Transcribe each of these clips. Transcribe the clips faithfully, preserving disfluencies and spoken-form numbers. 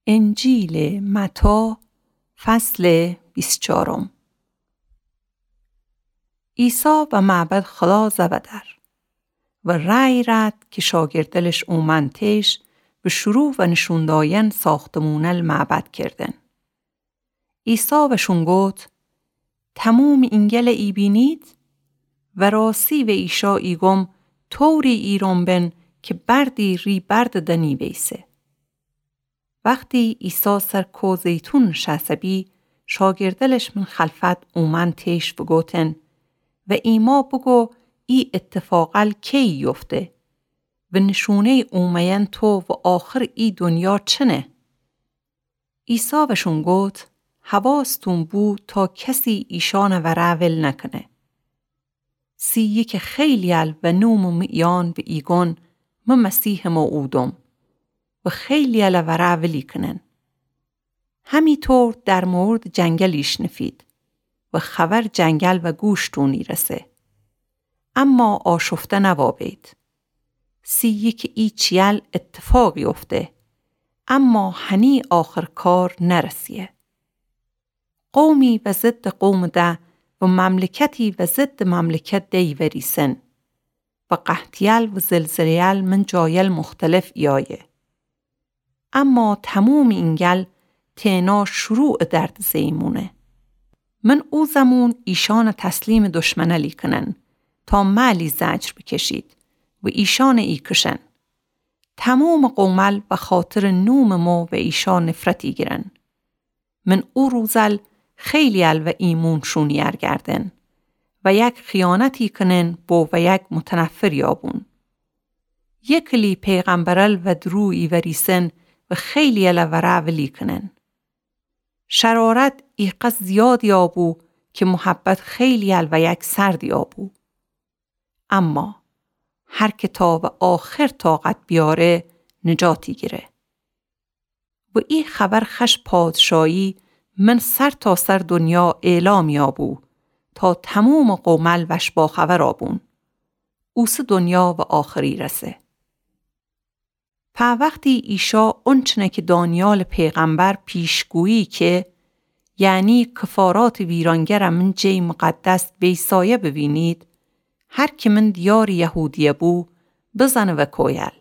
انجیلٚ متی، فصلٚ بیست و چارم. عیسی و معبد خلاص ودأر و رأی رأد کی شاگردلش اومأن تیش و شروع و نشون دأیأن ساختمونل معبد کردن. عیسی وشون گفت: تمومٚ اینگل ایبینید؟ و راستی و ایشا ایگم، طوری ایرأن بن کی بردی ری برد دنی ویسه. وختی عیسی سر کوه زیتون نشأسته بی، شاگردلش من خلفت اومأن تیش و گفتن: و ایما بوگو، ای ایتفاقل کیی یفته؟ و نشونه‌یٚ اومه‌یأن تو و آخرٚ ای دنیا چنه؟ عیسی وشون گفت: حواستون بو تا کسی ایشأنٚ وره ول نکنه. سی یکٚ خیلی‌یل و نومٚ میأن و ایگون: من مسیحٚ موعودم. و خیلی‌یل وره ولی کنن. همی طور در موردٚ جنگل ایشنفید و خبر جنگل و گوشتون ایرسه. اما آشفته نوابید. سی یکٚ ای چی‌یل ایتفاق یفته، اما هنی آخر کار نرسیه. قومی و ضدٚ قومٚ ده و مملکتی و ضدٚ مملکت ده ایوریسن و قحطی‌یل و زلزله‌یل من جایل مختلف ایایه. اما تمومٚ اینگل تأنها شروعٚ درد زه‌یی مونه. من او زمون ایشأن تسلیمٚ دشمنلی کنن تا مألی زجر بکشید و ایشأن ایکشن. تمومٚ قومل بخاطرٚ نومٚ مو و ایشا نفرت ایگیرن. من او روزل خیلی‌یل و ایمون شون ایأرگردن و یک خیانتی کنن بو و یک متنفر یابون. یکلی پیغمبرل و درو ایوریسن و خیلی‌یل وره ولی کنن. شرارت ایقدر زیاد یابو کی محبت خیلی‌یل و یک سرد یابو. اما هر کی تا و آخر طاقت بیاره، نجات ایگیره. و ای خبر خوش پادشایی من سرتاسر دنیا اعلام یابو تا تمومٚ قومل وش باخبر آبون. اوسه دنیا و آخر ایرسه. په وختی ایشا اونچنه کی دانیالٚ پیغمبر پیشگویی که، یعنی کفاراتٚ ویرانگره من جیٚ مقدس ویسایه بوینید، هر کی من دیارٚ یهودیه بو، بزنه و کویل.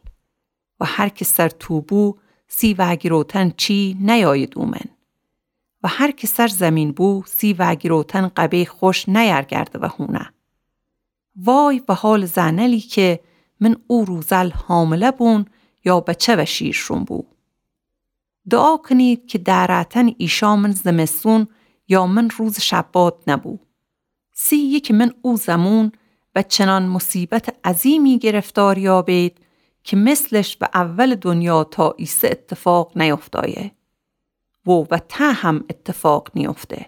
و هر کی سر تو بو، سی وأگیروتن چی نیاید اومن. و هر کی سر زیمین بو، سی وأگیروتن قبی خوش نیأرگرده و هونه. وای و حالٚ زنألی کی من او روزل حامله بون یا بچه و شیرشون بو. دعا کنید کی دأرأتن ایشأ من زمستون یا من روزٚ شبات نبو. سی یکٚ من او زمون و چنان مصیبتٚ عظیمی گرفتار یابید کی مثلش و اولٚ دنیا تا ایسه ایتفاق نیفتایه و و ته هم ایتفاق نیفته.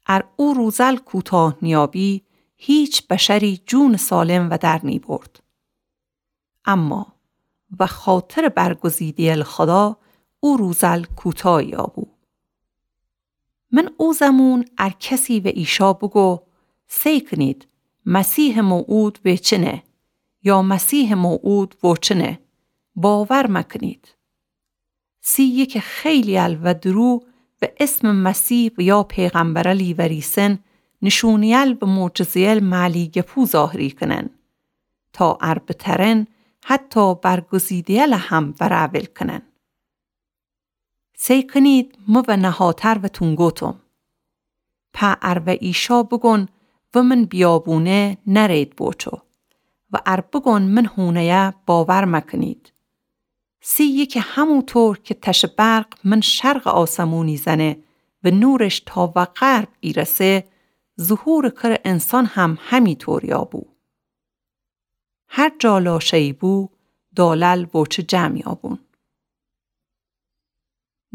ار او روزل کوتاه نیابی، هیچ بشری جونٚ سالم ودر نیبرد. اما و خاطرٚ برگزیده‌یل خودا او روزل کوتاه یابو. من او زمون ار کسی و ایشا بوگو، سی کنید، مسیحٚ موعود ویچنه، یا مسیحٚ موعود ووچنه، باور مکنید. سی یکٚ خیلی‌یل و درو و اسمٚ مسیح و یا پیغمبرلی وریسن، نشونه‌یل و معجزه‌یل مألی گپو ظاهری کنن، تا ار بترن حتی برگزیده‌یل هم وره ول کنن. سی کنید مو و نهاتر وتون گوتم. په ار و ایشا بگون و من بیابونه نرید بوچو. و ار بگون من هونه‌یه باور مکنید. سی یکٚ همو طور کی تشٚ برق من شرقٚ آسمونی زنه و نورش تا و غرب ایرسه، ظهورٚ کرٚ انسان هم همی طور یابو. هر جا لاشه‌یی بو، دالل بوچه جمع یابون.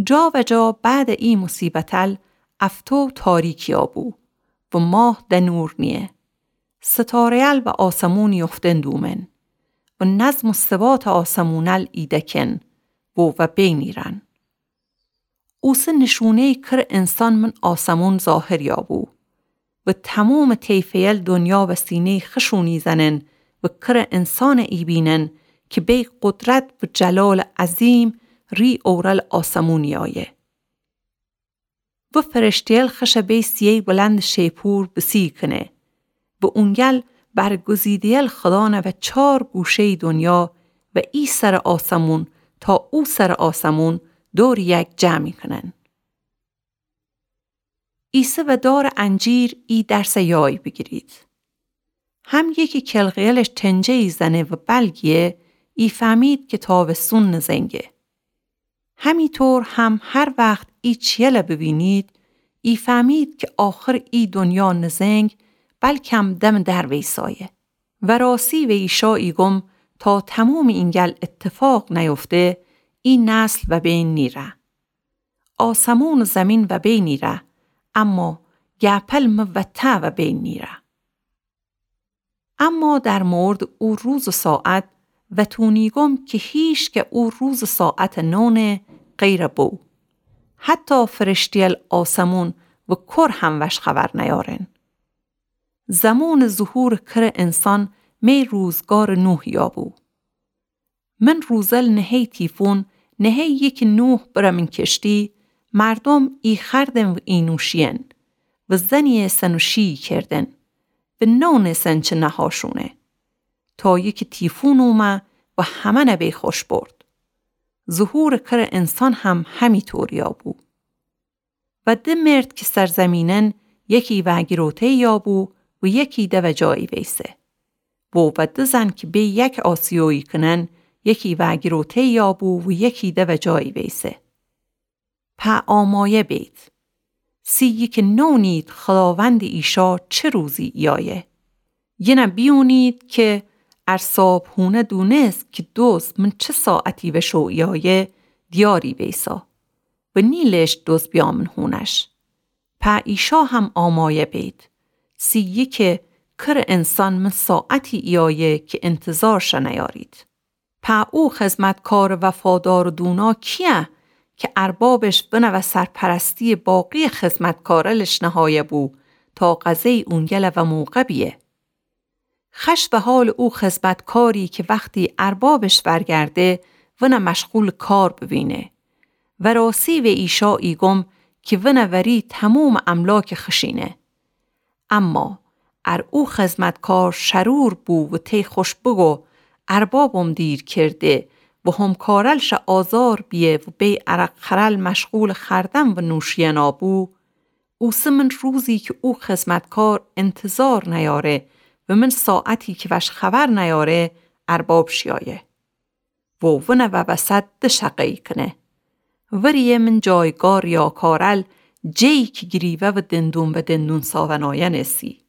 جا و جا بعدٚ ای مصیبتل افتو تاریکی یابو و ماه د نور نیه. ستاره‌یل و آسمون یفتن دومن و نظم و ثباتٚ آسمونل ایدکن و و بین ایرن. اوسه نشونه‌یٚ کرٚ انسان من آسمون ظاهر یابو و تمومٚ طیفه‌یل دنیا و سینه‌یٚ خوشونی زنن و کرٚ انسانٚ ایبینن کی بی قدرت و جلالٚ عظیم ری اورل آسمون ایایه. و فرشته‌یل خشَ بی سیه‌ی بلندٚ شیپور بسیکینه. و اونگل برگزیده‌یل خودانَ و چار گوشه‌یٚ دونیا و ای سرٚ آسمون تا او سرٚ آسمون دورٚ یک جمع کونن. ایسه و دارٚ انجیر ای درسَ یای بیگیرید. هم یکی کلغه‌یلش تنجه‌یی زنه و بلگیه، ایفهمید کی تاوستون نزنگه. همی طور هم هر وخت ای چیه‌یلَ ببینید، ایفهمید کی آخرٚ ای دونیا نزنگ، بلکم دمٚ در ویسایه. و راستی و ایشا ایگم تا تمومٚ اینگل ایتفاق نیفته، ای نسل وبین نیره. آسمون و زیمین وبین نیره، اما گپل می وطه وبین نیره. اما در موردٚ او روز و ساعت وتون ایگم کی هیچ که او روز و ساعتَ نونه غیرٚ بو. حتی فرشته‌یل آسمون و کر هم وش خبر نیارن. زمونٚ ظهورٚ کرٚ انسان می روزگارٚ نوح یابو. من روزل نهه‌یٚ تیفون، نهه‌یٚ یکی نوح برمین کشتی، مردوم ای خوردن و ای نوشیدن و زنیسن و شیی کردن و نونسن چه نهاشونه. تا یکی تیفون اومه و همه‌نَ بی خوش برد. ظهورٚ کرٚ انسان هم همی طور یابو. و د مرد کی سرزیمینن یکی وأگیروته‌یی یابو و یکی دو جایی ویسه. و و د زن کی بی یک آسیویی کونن یکی وأگیروته‌یی یابو و یکی دو جایی ویسه. په آمایه بید. سی یکی نونید خوداوندٚ ایشا چه روزی ایایه. یینه بیونید کی ار صابحونه دونست کی دوز من چه ساعتی وشو ایایه، دیاری ویسا. و نیلشت دوز بیامن هونش. په ایشا هم آمایه بید. سی یکی کرٚ انسان من ساعتی ایایه کی انتظارش نیارید. په او خدمتکارٚ وفادارٚ دونا کییه کی اربابش ونَ و سرپرستییٚ باقییٚ خدمتکارلش نهایه بو تا غذه‌یٚ اونگل و موقع بیه؟ خوش به حالٚ او خدمتکاری کی وختی اربابش ورگرده، ونَ مشغولٚ کار ببینه. و راستی و ایشا ایگم کی ونَ وری تمومٚ املاکَ خوشینه. اما ار او خدمتکار شرور بو و تی خوش بگو اربابم دیر کرده و همکارلش آزار بیه و بی عرق خورل مشغولٚ خوردن و نوشیدن بو، اوسه من روزی کی او خدمتکار انتظار نیاره و من ساعتی کی وش خبر نیاره، اربابش ایایه. و ونَ و وسط د شقه‌یی کونه. ورییٚ من جایگاه ریاکارل، جه‌یی کی گریوه و دندون به دندون ساونایأن ایسی.